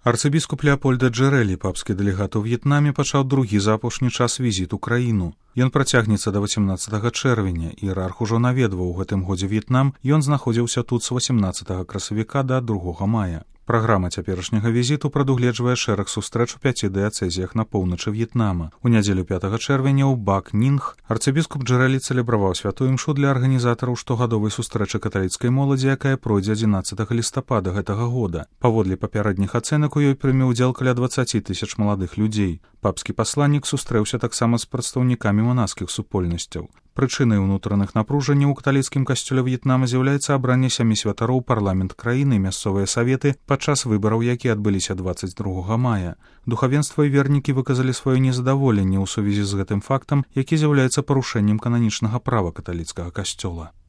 Арцыбіскуп Леапольда Джэрэлі, папскі дэлегат у В'етнаме, пачаў другі за апошні час візіт у краіну. Ён працягнецца да 18 чэрвеня, іерарх ужо наведваў у гэтым годзе В'етнам, ён знаходзіўся тут з 18 красавіка да 2 мая. Праграма цяперашняга візіту прадугледжвае шэраг сустрэч у 5 дыяцэзіях на поўначы В'етнама. У нядзелю 5 чэрвеня ў Бак Нінг арцыбіскуп Джэрэлі цэлебраваў святую імшу для арганізатараў штогадовай сустрэчы каталіцкай моладзі, якая пройдзе 11 лістапада гэтага года. Паводле папярэдніх ацэнак у ёй прыме ўдзел каля 20 000 маладых людзей. Папскі пасланнік сустрэўся таксама з прадстаўнікамі манаскіх супольнасцяў. Прычынай унутраных напружанняў у каталіцкім касцёле В'етнама з'яўляецца абранне 7 святароў парламент краіны і мясцовыя саветы падчас выбараў, якія адбыліся 22 мая. Духавенства і вернікі выказалі сваё незадаволенне ў сувязі з гэтым фактам, які з'яўляецца парушэннем кананічнага права каталіцкага касцёла.